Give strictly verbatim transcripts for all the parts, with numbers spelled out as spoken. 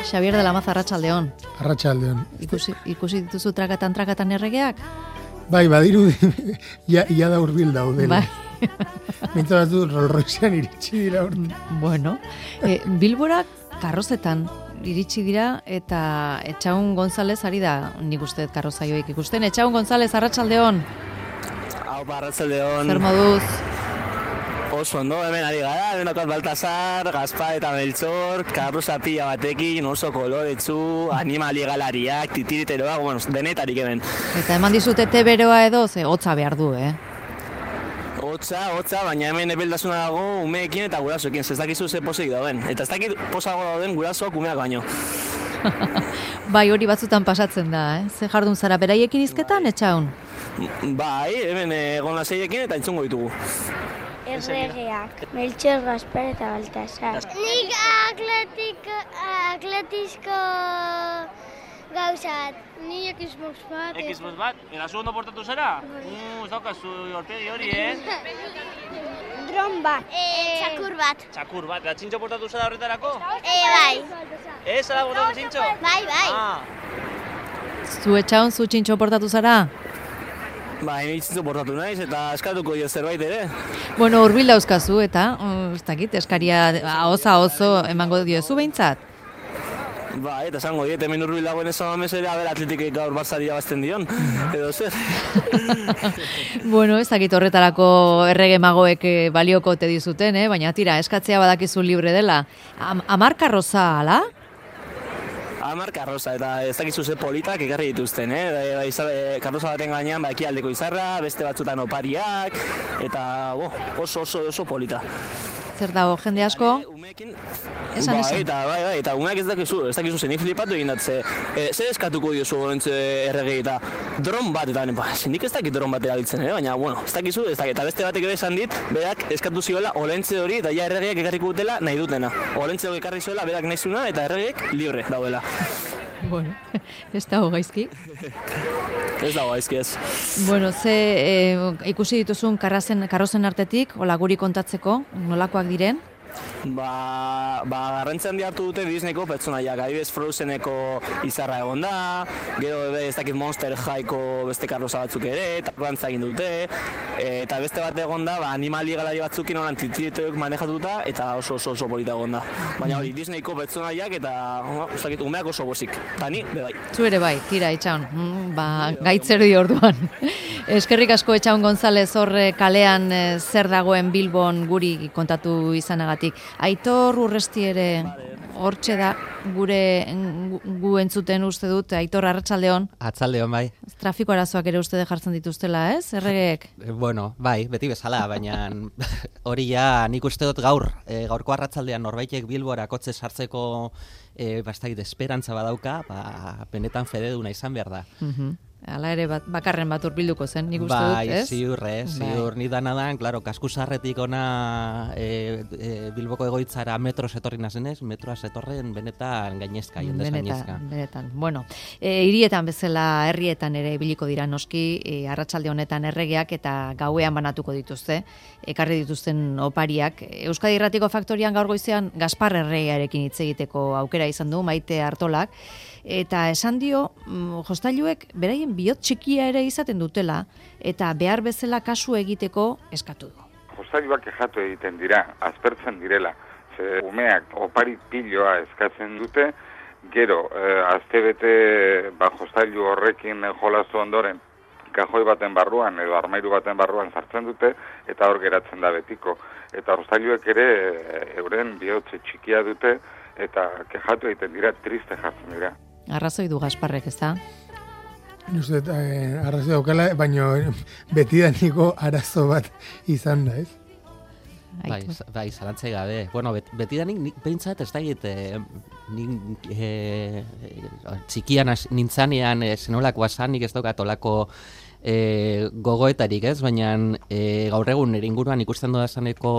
Xabier de la Maza, arratsaldeon. Arratsaldeon. Ikusi, ikusi dituzu trakatan trakatan erregeak? Bai, badiru ja, ja da hurbil daudela. Bai. Mintzat batzu Rolls Roycean iritsi dira urte. Bueno, e, Bilbora karrozetan iritsi dira eta Etxaun González ari da, nik uste karrozaioik ikusten. Etxaun González, arratsaldeon. Hau, arratsaldeon. Zer moduz? Oso ondo, hemen ari gara, hemen okat Baltasar, Gaspar eta Meltzor, karroza pila batekin, oso koloretsu, animali galariak, titiriteroak, bueno, denetarik hemen. Eta eman dizute te beroa edo, ze hotza behar du, eh? Hotza, hotza, baina hemen ebeldasuna dago umeekin eta gurasoekin, ez dakizu ze pozik dauden. Eta ez dakit posago dauden gurasoak umeak baino. Bai, hori batzutan pasatzen da, eh? Ze jardun zara beraiekin izketan, Etxaun? Bai, hemen egon laseiekin eta entzungo ditugu. Erregeak, Meltxor, Gaspar eta Baltasar. Nik atletiko, atletisko gauzat. Ni Xbox bat. Xbox bat? Eta zu ondo portatu zara? Uh, ez daukazu horpegi hori, eh? Dron bat. Txakur bat. Txakur bat. Eta txintxo portatu zara horretarako? E, bai. Ez, zara portatu txintxo? Bai, bai. Ah. Zu Etxaun, zu txintxo portatu zara? Ba, initzitzu portatu naiz eta eskatuko dio zerbait ere. Bueno, hurbil dauzkazu eta, ez dakit, eskaria oza oso emango diozu behintzat? Ba, eta esango diet, hemen hurbil dagoen ez amamez ere, aber atletikek gaur Barçari abazten dion, edo zer. Bueno, ez dakit horretarako errege magoek balioko te dizuten, eh? Baina tira, eskatzea badakizu libre dela. Am, amar karroza, ala? Hamar karroza, eta ez dakizu ze politak ekarri dituzten, eh? Ba, izabe, karroza baten gainean ba, ekialdeko izarra, beste batzutan opariak, eta bo, oso oso oso polita. Zer dago, jende asko? Umeekin, Esan, bai, esan. Eta, bai, bai, eta umeak ez dakizu, ez dakizu zen flipatu egin datze. E, zer eskatuko diozu gorentze erregei eta dron bat, eta ba, nik ez dakit dron bat erabiltzen, eh? Baina, bueno, ez dakizu, ez dakit, eta beste batek ere esan dit, berak eskatu zioela olentze hori, eta ja erregeiak ekarriko dutela nahi dutena. Olentze hori ekarri zuela, berak nahi zuena, eta erregeiak libre daudela. Bueno, ez dago gaizki. Ez dago gaizki ez. Bueno, ze e, ikusi dituzun karrazen, karrozen artetik, hola guri kontatzeko, nolakoak diren? Ba, ba garrantzia handi hartu dute Disneyko pertsonaiak, adibidez Frozeneko izarra egon da, gero ez dakit Monster Highko beste karroza batzuk ere, eta garrantza egin dute, e, eta beste bat egon da, ba, animali galari batzukin horan titiritoek manejatuta, eta oso oso oso polita egon da. Baina hori Disneyko pertsonaiak eta ez dakit umeak oso bozik, eta ni, be bai. Zu ere bai, tira, Etxaun, mm, ba, gaitzer di orduan. Eskerrik asko Etxaun González horre kalean e, zer dagoen Bilbon guri kontatu izanagatik. Aitor Urresti ere hortxe da gure gu, gu entzuten uste dut. Aitor, arratsaldeon. Arratsaldeon, bai. Trafiko arazoak ere uste jartzen dituztela, ez? Erregeek? Bueno, bai, beti bezala, baina hori ja nik uste dut gaur, e, gaurko arratsaldean norbaitek Bilbora kotxe sartzeko e, bastakit esperantza badauka, ba, benetan fededuna izan behar da. Mhm. Hala ere bat, bakarren bat urbilduko zen, nik uste dut, bai, ez? Ziur, ez, ziur, bai. Ni danadan, klaro, kaskusarretik ona e, e, Bilboko egoitzara metroz etorri nazenez, metroaz etorren benetan gainezka, jendez gainezka. Benetan, bueno, e, hirietan bezala, herrietan ere ibiliko dira noski, e, arratsalde honetan erregeak eta gauean banatuko dituzte, ekarri dituzten opariak. Euskadi Irratiko Faktorian gaur goizean Gaspar erregearekin hitz egiteko aukera izan du, Maite Artolak, eta esan dio, mm, jostailuek beraien bihot txikia ere izaten dutela, eta behar bezala kasu egiteko eskatu du. Jostailuak kexatu egiten dira, aspertzen direla. Ze umeak opari piloa eskatzen dute, gero, eh, astebete ba, jostailu horrekin jolastu ondoren, kajoi baten barruan edo armairu baten barruan sartzen dute, eta hor geratzen da betiko. Eta jostailuek ere euren bihotze txikia dute, eta kexatu egiten dira, triste jartzen dira. Arrazoi du Gasparrek, ez da? Uste, eh, arrazoi daukala, baina betidaniko arazo bat izan da, ez? Bai, bai, zalantzai gabe. Bueno, bet, betidanik nik behintzat ez da egite, nik e, txikian nintzanean e, zenolako asanik ez daukat olako e, gogoetarik ez, baina e, gaur egun nire inguruan ikusten dudazaneko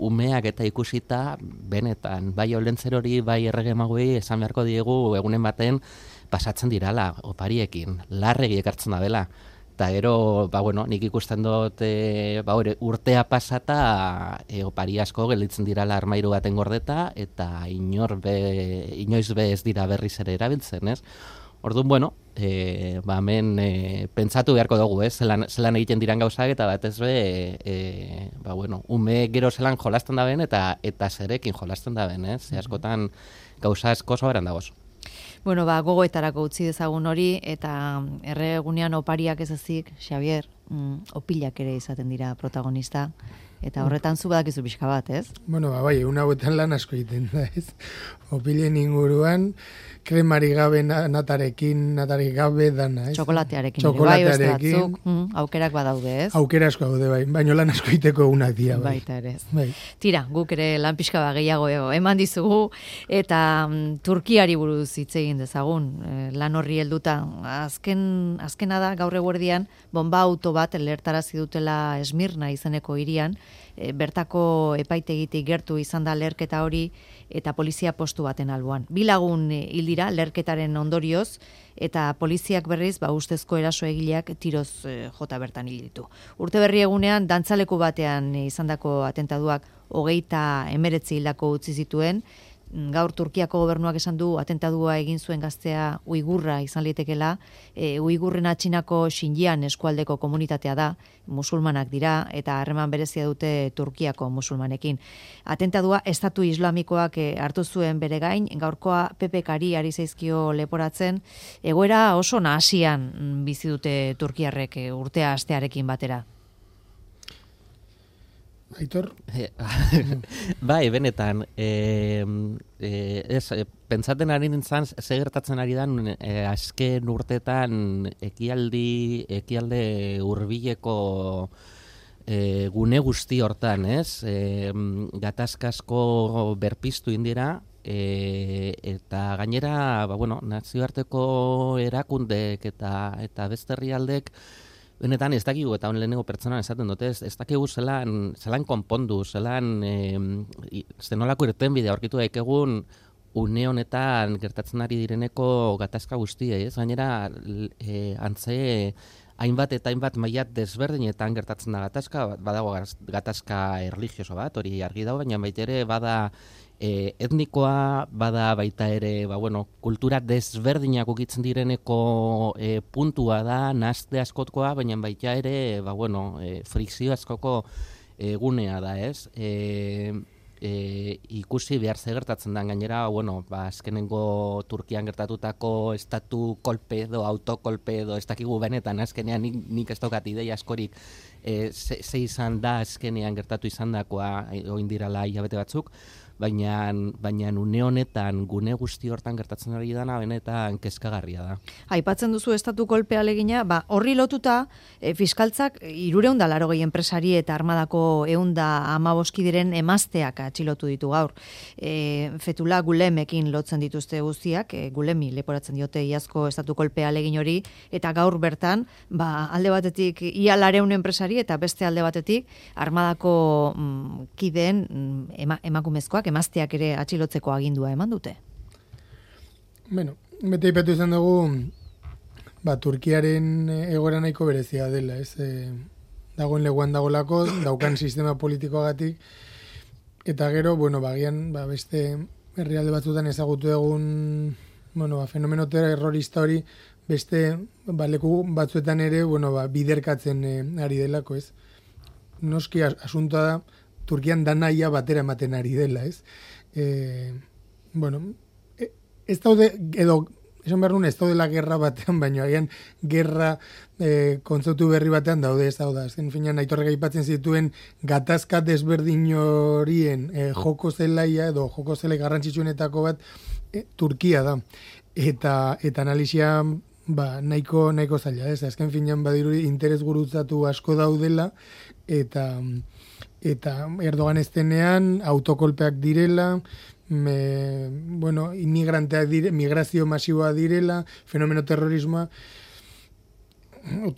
umeak eta ikusita, benetan, bai olentzer hori, bai errege maguei esan beharko diegu egunen baten pasatzen dirala opariekin, larregi ekartzen da dela. Eta gero, ba, bueno, nik ikusten dut e, ba, ore, urtea pasata e, opari asko gelditzen dirala armairu baten gordeta, eta inor be, inoiz be ez dira berriz ere erabiltzen, ez? Orduan, bueno, e, ba, hemen e, pentsatu beharko dugu, ez? Zelan, zelan egiten diran gauzak, eta batez be, e, ba, bueno, ume gero zelan jolasten da ben, eta, eta zerekin jolasten da ben, ez? Ze askotan gauza asko soberan dagoz. Bueno, ba, gogoetarako utzi dezagun hori, eta erregunean opariak ez ezik, Xavier, mm, opilak ere izaten dira protagonista, eta horretan zu badakizu pixka bat, ez? Bueno, ba, bai, egun hauetan lan asko egiten da, ez? Opilen inguruan, kremari gabe natarekin, natarik gabe dana, ez? Txokolatearekin. Txokolatearekin. Bai, batzuk, mm, aukerak badaude, ez? Aukera asko daude, bai, baino lan asko egiteko egunak dira, bai. Baita ere, ez. Bai. Tira, guk ere lan pixka bat gehiago eman dizugu, eta mm, Turkiari buruz hitz egin dezagun, e, lan horri helduta. Azken, azkena da, gaur eguerdian, bomba auto bat lertarazi dutela Esmirna izeneko hirian, e, bertako epaitegitik gertu izan da lerketa hori, eta polizia postu baten alboan. Bi lagun hil dira lerketaren ondorioz, eta poliziak berriz, ba, ustezko eraso egileak tiroz e, jota bertan hil ditu. Urte berri egunean, dantzaleku batean e, izandako atentaduak hogeita emeretzi hildako utzi zituen. Gaur Turkiako gobernuak esan du atentadua egin zuen gaztea uigurra izan litekela. E, uigurrena Txinako Xinjiang eskualdeko komunitatea da, musulmanak dira, eta harreman berezia dute Turkiako musulmanekin. Atentadua estatu islamikoak e, hartu zuen bere gain, gaurkoa P P K-ari ari zaizkio leporatzen, egoera oso nahasian bizi dute turkiarrek e, urtea astearekin batera. Aitor? Bai, benetan, e, e, ez, e, pentsaten ari nintzen, ze gertatzen ari dan, e, azken urtetan ekialdi, ekialde hurbileko e, gune guzti hortan, ez? E, gatazkasko berpiztu indira, e, eta gainera, ba, bueno, nazioarteko erakundek eta, eta beste herrialdek, benetan ez dakigu, eta hon lehenengo pertsonan esaten dute, ez, ez dakigu zelan, zelan konpondu, zelan e, zenolako irtenbidea aurkitu daikegun une honetan gertatzen ari direneko gatazka guztiei, ez? Gainera, e, antze hainbat eta hainbat maila desberdinetan gertatzen da gatazka, badago gatazka erlijioso bat, hori argi dago, baina baita ere bada E, etnikoa, bada baita ere, ba, bueno, kultura desberdinak ukitzen direneko e, puntua da, nazte askotkoa, baina baita ere, ba, bueno, e, frikzio askoko egunea da, ez? E, e, ikusi behar ze gertatzen da, gainera, bueno, ba, azkenengo Turkian gertatutako estatu kolpe edo autokolpe edo ez dakigu benetan, azkenean nik, nik ez daukat ideia askorik e, ze, ze izan da azkenean gertatu izan dakoa, oindirala hilabete batzuk, baina baina une honetan gune guzti hortan gertatzen ari dana benetan kezkagarria da. Aipatzen duzu estatu kolpe alegina, ba horri lotuta e, fiskaltzak hirurehun eta laurogei enpresari eta armadako ehun eta hamabost kideren emazteak atxilotu ditu gaur. E, Fethullah Gulemekin lotzen dituzte guztiak, e, Gulemi leporatzen diote iazko estatu kolpe alegin hori, eta gaur bertan, ba alde batetik ia laurehun enpresari eta beste alde batetik armadako mm, kideen mm, ema, emakumezkoak emazteak ere atxilotzeko agindua eman dute. Bueno, bete ipatu izan dugu, ba, Turkiaren egoera nahiko berezia dela, ez? E, dagoen leguan dagolako, daukan sistema politikoagatik, eta gero, bueno, bagian, ba, beste herrialde batzutan ezagutu egun, bueno, ba, fenomeno terrorista hori, beste, ba, leku batzuetan ere, bueno, ba, biderkatzen e, ari delako, ez? Noski asuntoa da, Turkian danaia batera ematen ari dela, ez? E, bueno, e, ez daude, edo, esan behar nuen, ez daudela gerra batean, baina agian gerra e, kontzeptu berri batean daude, ez daude. Azken finean, Aitorrek aipatzen zituen gatazka desberdin horien e, joko zelaia, edo joko zelai garrantzitsuenetako bat, e, Turkia da. Eta, eta analizia, ba, nahiko, nahiko zaila, ez? Azken finean, badiru interes gurutzatu asko daudela, eta... eta Erdogan eztenean autokolpeak direla, me, bueno, inmigranteak dire, migrazio masiboa direla, fenomeno terrorismoa,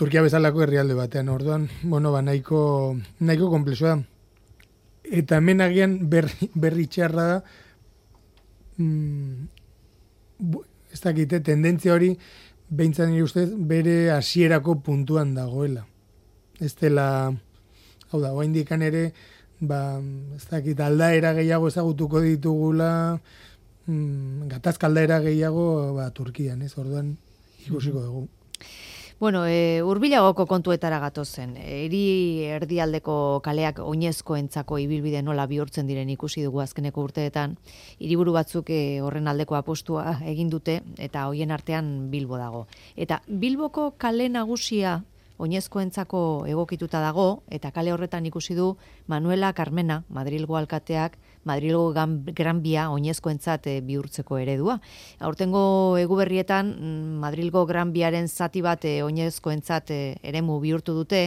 Turkia bezalako herrialde batean, orduan, bueno, ba, nahiko, nahiko komplexua da. Eta hemen agian berri, berri txarra da, mm, ez dakite, tendentzia hori, behintzat nire ustez, bere hasierako puntuan dagoela. Ez dela, hau da, oraindikan ere, ba, ez dakit, aldaera gehiago ezagutuko ditugula, mm, gatazka aldaera gehiago, ba, Turkian, ez, orduan ikusiko dugu. Bueno, e, hurbilagoko kontuetara gatozen. Hiri erdialdeko kaleak oinezkoentzako ibilbide nola bihurtzen diren ikusi dugu azkeneko urteetan. Hiriburu batzuk e, horren aldeko apostua egin dute eta hoien artean Bilbo dago. Eta Bilboko kale nagusia oinezkoentzako egokituta dago eta kale horretan ikusi du Manuela Carmena, Madrilgo alkateak, Madrilgo Gran Bia oinezkoentzat e, bihurtzeko eredua. Aurtengo eguberrietan Madrilgo Gran Biaren zati bat e, oinezkoentzat e, eremu bihurtu dute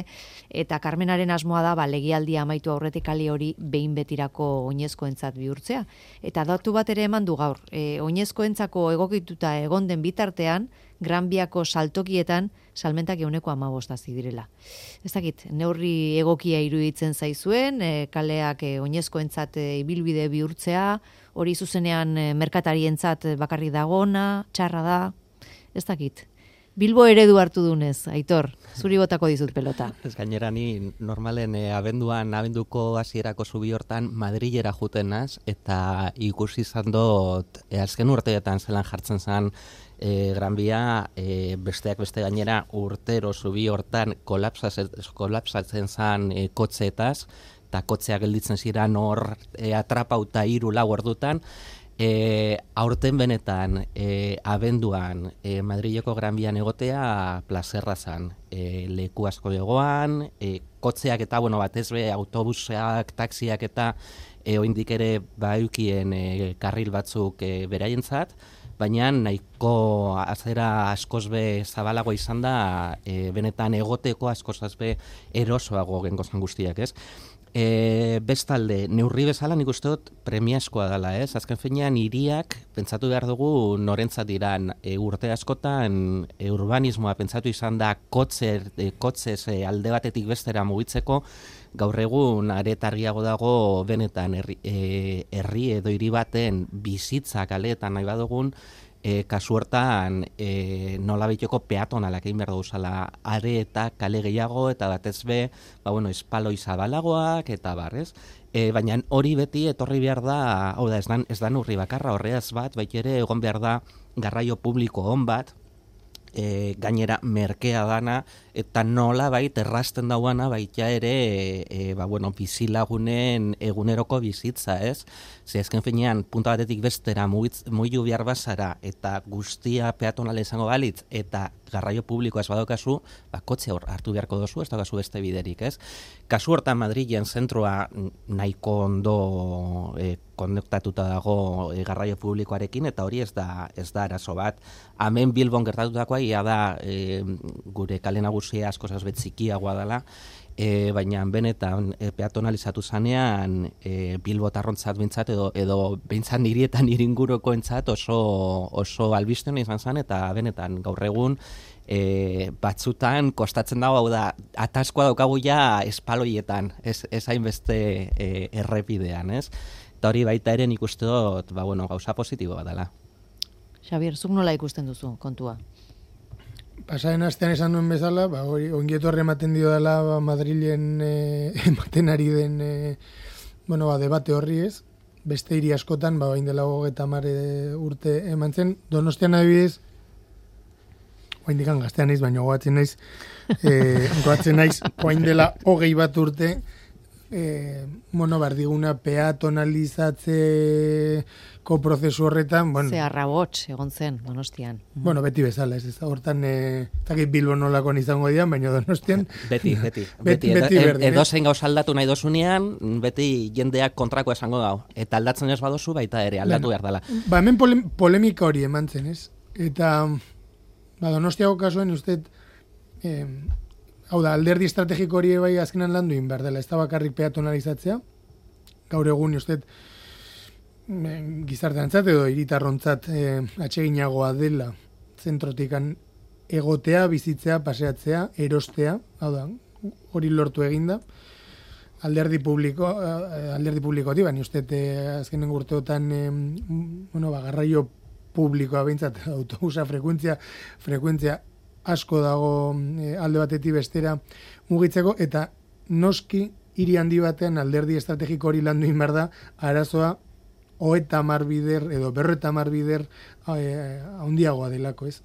eta Carmenaren asmoa da ba, legialdia amaitu aurretik kale hori behin betirako oinezkoentzat bihurtzea. Eta datu bat ere eman du gaur, e, oinezkoentzako egokituta egon den bitartean Gran Biako saltokietan salmentak ehuneko hamabost hazi direla. Ez dakit, neurri egokia iruditzen zaizuen, e, kaleak e, oinezkoentzat e, ibilbide bihurtzea, hori zuzenean e, merkatarientzat bakarrik dagona, txarra da, ez dakit. Bilbo eredu hartu dunez, Aitor, zuri botako dizut pelota. Ez gainera ni normalen e, abenduan, abenduko hasierako zubi hortan Madrilera jutenaz, eta ikusi izan dut e, azken urteetan zelan jartzen zen E, Gran Bia, e, besteak beste gainera urtero zubi hortan kolapsatzen zen e, kotxeetaz, eta kotxea gelditzen ziren hor e, atrapauta hiru lau ordutan. E, aurten benetan, e, abenduan, e, Madrileko Gran Bian egotea plazerra zen. E, leku asko egoan, e, kotxeak eta, bueno, batez be, autobusak, taxiak eta e, oindik ere baukien e, karril batzuk e, beraientzat, baina nahiko azera askoz be zabalago izan da, e, benetan egoteko askoz be erosoago gengozan guztiak, ez? E, bestalde, neurri bezala nik uste dut premiazkoa dela, ez? Azken finean hiriak pentsatu behar dugu norentzat diran e, urte askotan e, urbanismoa pentsatu izan da kotze, e, kotzez e, alde batetik bestera mugitzeko, gaur egun aretargiago dago benetan herri, e, herri edo hiri baten bizitza kaleetan nahi badugun, e, kasu hortan e, nola bitoko peatonalak egin behar duguzala are eta kale gehiago eta batez be, ba, bueno, espaloi zabalagoak eta barrez. E, baina hori beti etorri behar da, hau da, ez da, ez da neurri bakarra, horreaz bat, baita ere egon behar da garraio publiko on bat, E, gainera merkea dana eta nola bait errasten dauana baita ere e, e, ba, bueno, bizilagunen eguneroko bizitza, ez? Ze azken finean punta batetik bestera mugitu behar bazara eta guztia peatonala izango balitz eta garraio publikoa ez badaukazu, ba, kotxe hor hartu beharko dozu, ez daukazu beste biderik, ez? Kasu hortan Madrilen zentroa nahiko ondo e, konnektatuta dago e, garraio publikoarekin eta hori ez da ez da arazo bat. Hemen Bilbon gertatutakoa ia da e, gure kale nagusia askoz bet txikiagoa dela, e, baina benetan e, peatonalizatu zanean e, Bilbotarrontzat bintzat edo edo bintzat nirietan iringurokoentzat oso oso albisten izan zen eta benetan gaur egun E, batzutan kostatzen dago, hau da, ataskoa daukagu ja espaloietan, ez, ez hainbeste e, errepidean, ez? Eta hori baita ere nik uste dut, ba, bueno, gauza positibo bat dela. Xabier, zuk nola ikusten duzu kontua? Pasaren astean esan duen bezala, ba, hori ongietorre ematen dio dela ba, Madrilen e, ematen ari den e, bueno, ba, debate horri ez, beste hiri askotan, ba, bain dela hogeita hamar urte eman zen, Donostian adibidez, oain dikan gaztean naiz, baina goatzen naiz, e, goatzen naiz, oain dela hogei bat urte, e, bueno, bardiguna peatonalizatzeko prozesu horretan, bueno. Ze arrabots egon zen, Donostian. Bueno, beti bezala, ez, ez hortan, e, zakit Bilbo nolako izango dian, baina Donostian. Beti, beti. beti, beti edo, berdin, edo zein gauz aldatu nahi dozunean, beti jendeak kontrako esango dau. Eta aldatzen ez badozu, baita ere, aldatu behar dela. Ba, hemen pole, polemika hori eman zen, ez? Eta... Ba, Donostiako kasuen, uste, eh, hau da, alderdi estrategiko hori bai azkenan landu behar dela, ez da bakarrik peatonalizatzea, gaur egun, uste, eh, gizarteantzat edo hiritarrontzat eh, atseginagoa dela zentrotikan egotea, bizitzea, paseatzea, erostea, hau da, hori lortu eginda, alderdi publiko, eh, alderdi publikotik, baina uste, eh, azkenen urteotan, eh, bueno, ba, garraio publikoa behintzat, autobusa frekuentzia, frekuentzia asko dago e, alde batetik bestera mugitzeko, eta noski hiri handi batean alderdi estrategiko hori landu behar da, arazoa hogeita hamar bider edo berrogeita hamar bider e, handiagoa delako, ez?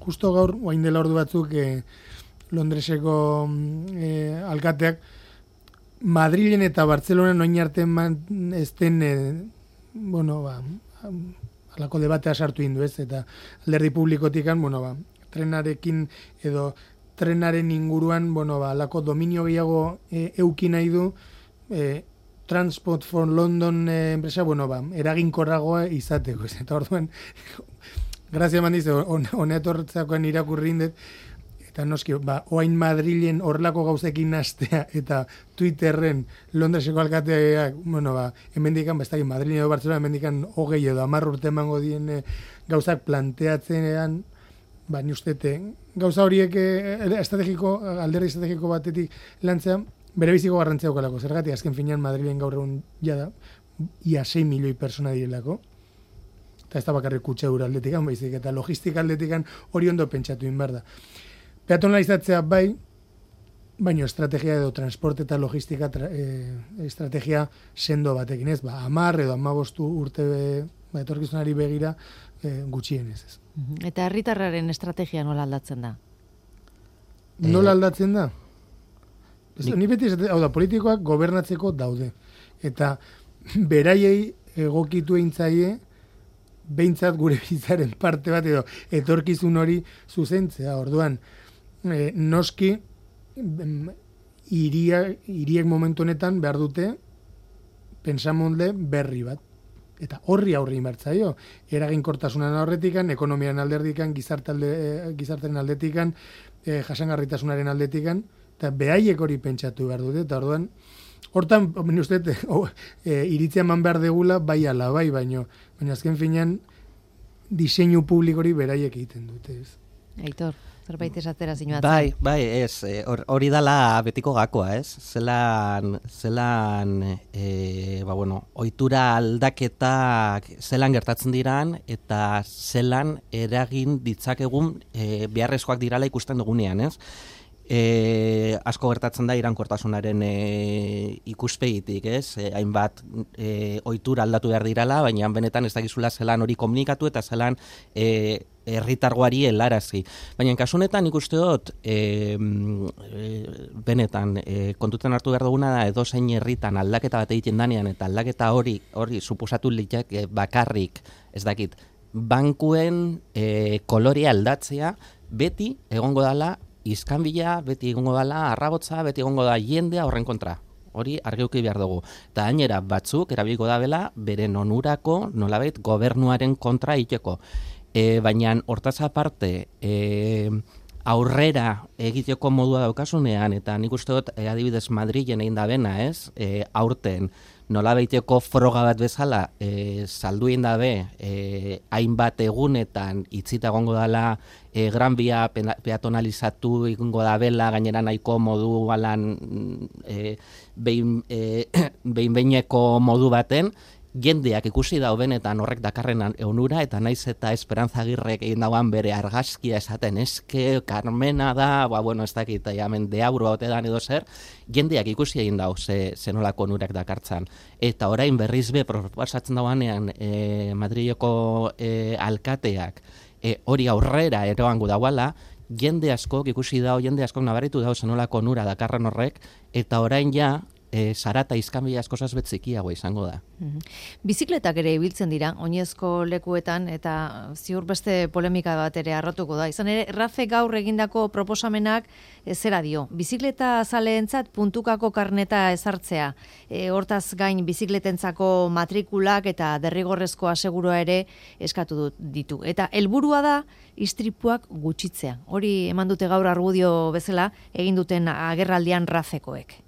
Justo gaur, oain dela ordu batzuk, e, Londreseko e, alkateak Madrilen eta Bartzelonan oin arte ezten e, bueno, ba, alako debatea sartu indu, ez? Eta alderdi publikotikan, bueno, ba, trenarekin edo trenaren inguruan, bueno, ba, alako dominio gehiago e, euki nahi du, e, Transport for London e, enpresa, bueno, ba, eraginkorragoa izateko, ez? Eta orduan, grazia eman dize, honetortzakoan irakurri indet, eta noski, ba, oain Madrilen horrelako gauzekin nastea, eta Twitterren Londreseko alkateak, bueno, ba, hemendikan, ba, ez dakit, Madrilen edo Bartzelona, hemendikan hogei edo hamar urte emango dien e, gauzak planteatzenean, ba, ni ustete, gauza horiek e, estrategiko, alderdi estrategiko batetik lantzea, bere biziko garrantzia daukalako. Zergatik, azken finean Madrilen gaur egun jada, ia sei milioi persona direlako, eta ez da bakarrik kutsadura aldetikan, baizik, eta logistika aldetikan hori ondo pentsatu inbar da. Peatonalizatzea bai, baino estrategia edo transporte eta logistika tra, e, estrategia sendo batekin, ez? Ba, hamar edo hamabost urte be, ba, etorkizunari begira e, gutxienez, ez. Eta herritarraren estrategia nola aldatzen da? Nola aldatzen da? Ez, ni beti esate, hau da, politikoak gobernatzeko daude. Eta beraiei egokitu eintzaie, behintzat gure bizitzaren parte bat edo etorkizun hori zuzentzea. Orduan, e, noski iria, iriek momentu honetan behar dute pensamonde berri bat. Eta horri aurri inbertzaio. Eraginkortasunan aurretikan, ekonomian alderdikan, gizartaren aldetikan, e, jasangarritasunaren aldetikan, eta behaiek hori pentsatu behar dute. Eta orduan, hortan, ben uste, oh, e, iritzia eman behar degula, bai ala, bai, baino, baina azken finean, diseinu publikori beraiek egiten dute, ez. Aitor, zerbait esatera zinuatzen. Bai, bai, ez, hori dala betiko gakoa, ez? Zelan, zelan, e, ba, bueno, ohitura aldaketak zelan gertatzen diran, eta zelan eragin ditzakegun e, beharrezkoak dirala ikusten dugunean, ez? E, asko gertatzen da iraunkortasunaren e, ikuspegitik, ez? E, hainbat e, ohitura aldatu behar dirala, baina benetan ez dakizula zelan hori komunikatu eta zelan e, herritargoari helarazi. Baina kasu honetan ikuste dut e, e, benetan e, kontutan hartu behar duguna da edozein herritan aldaketa bat egiten danean eta aldaketa hori hori suposatu litzake bakarrik, ez dakit, bankuen e, kolorea aldatzea beti egongo dala izkanbila, beti egongo dala arrabotza, beti egongo da jendea horren kontra. Hori argeuki behar dugu. Eta gainera batzuk erabiliko da bela beren onurako nolabait gobernuaren kontra egiteko. E, baina hortaz aparte e, aurrera egiteko modua daukasunean, eta nik uste dut e, adibidez Madrilen egin da bena, ez? E, aurten nolabaiteko froga bat bezala e, saldu egin dabe e, hainbat egunetan itzita egongo dela e, Gran Via peatonalizatu egongo da bela, gainera nahiko modu alan e, behin, e, behin behineko modu baten, jendeak ikusi dau benetan horrek dakarren onura, eta naiz eta Esperanza Agirrek egin dauan bere argazkia esaten, eske Carmena da, ba, bueno, ez dakit, jamen, de aurro ote dan edo zer, jendeak ikusi egin dau ze, zenolako onurak dakartzan. Eta orain berriz be, proposatzen dauanean e, Madrileko e, alkateak e, hori aurrera eroango dauala, jende askok ikusi dau, jende askok nabaritu dau zenolako onura dakarren horrek, eta orain ja, E, sarata izkanbila askozaz betzikiagoa izango da. Mm-hmm. Bizikletak ere ibiltzen dira, oinezko lekuetan, eta ziur beste polemika bat ere arrotuko da. Izan ere, Rafe gaur egindako proposamenak e, zera dio. Bizikleta zaleentzat puntukako karneta ezartzea. E, hortaz gain bizikletentzako matrikulak eta derrigorrezko asegurua ere eskatu dut ditu. Eta helburua da istripuak gutxitzea. Hori eman dute gaur argudio bezala egin duten agerraldian Rafekoek.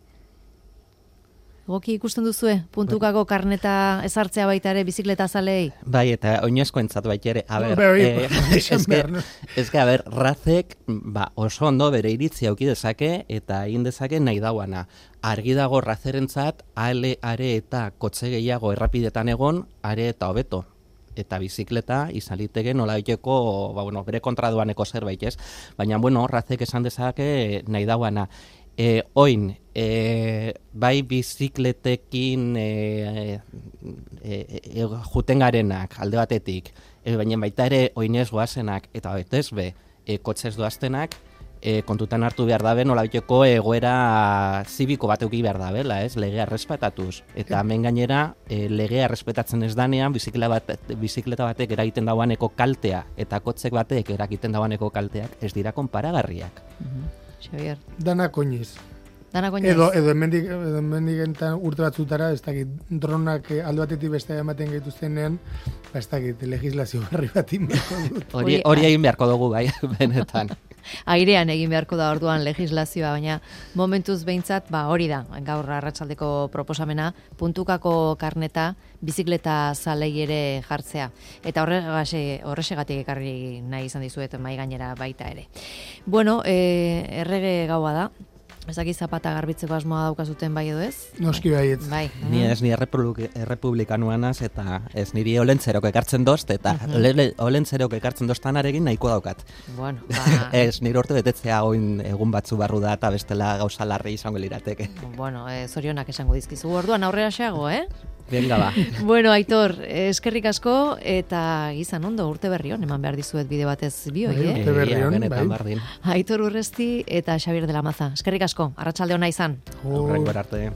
Goki ikusten duzue, puntukako karneta ezartzea baita ere bizikleta zalei? Bai, eta oinezko entzat baita ere. A ber, eh, ez que, a ber, Razek ba, oso ondo bere iritzi auki dezake eta egin dezake nahi dauana. Argi dago Razerentzat, ale, are eta kotxe gehiago errapidetan egon, are eta hobeto. eta bizikleta izan liteke nolabaiteko, ba, bueno, bere kontraduaneko zerbait, ez? Baina, bueno, razek esan dezake nahi dauana. E, oin, e, bai bizikletekin e, e, e, juten garenak alde batetik, e, baina baita ere oinez goazenak, eta betez be, e, kotxez doaztenak, e, kontutan hartu behar dabe, nolabaiteko egoera zibiko bat euki behar dabela, ez? Legea errespetatuz. Eta hemen gainera, e, legea errespetatzen ez danean, bizikleta, bat, bizikleta batek eragiten dauaneko kaltea, eta kotxek batek eragiten dauaneko kalteak, ez dira konparagarriak. Mhm. Xabier. Dana koiniz. Dana koiniz. Edo, edo hemendik, edo hemendik enten urte batzutara, ez dakit, dronak alde batetik beste ematen gaituztenean, ba, ez dakit, legislazio barri bat inberko dut. Hori, hori egin beharko dugu, bai, benetan. Airean egin beharko da orduan legislazioa, baina momentuz behintzat, ba hori da, gaur arratsaldeko proposamena, puntukako karneta bizikleta zalei ere jartzea. Eta horregase, horrexegatik ekarri nahi izan dizuet mai gainera baita ere. Bueno, e, errege gaua da. Ez dakit zapata garbitzeko asmoa daukazuten bai edo ez? Noski baietz. Bai. Ni ez ni errepublikanuanaz eta ez niri olentzerok ekartzen dozt, eta uh-huh. olentzerok ekartzen doztanarekin nahiko daukat. Bueno, ba... ez nire urte betetzea oin egun batzu barru da eta bestela gauza larri izango lirateke. Bueno, eh, zorionak esango dizkizu. Orduan aurrera xeago, eh? Venga, ba. Bueno, Aitor, eskerrik asko eta izan ondo urte berri on, eman behar dizuet bide batez bioi, eh? Urte berri on, bai. Aitor Urresti eta Xabier de la Maza. Eskerrik asko, arratsalde ona izan. Horrengo arte.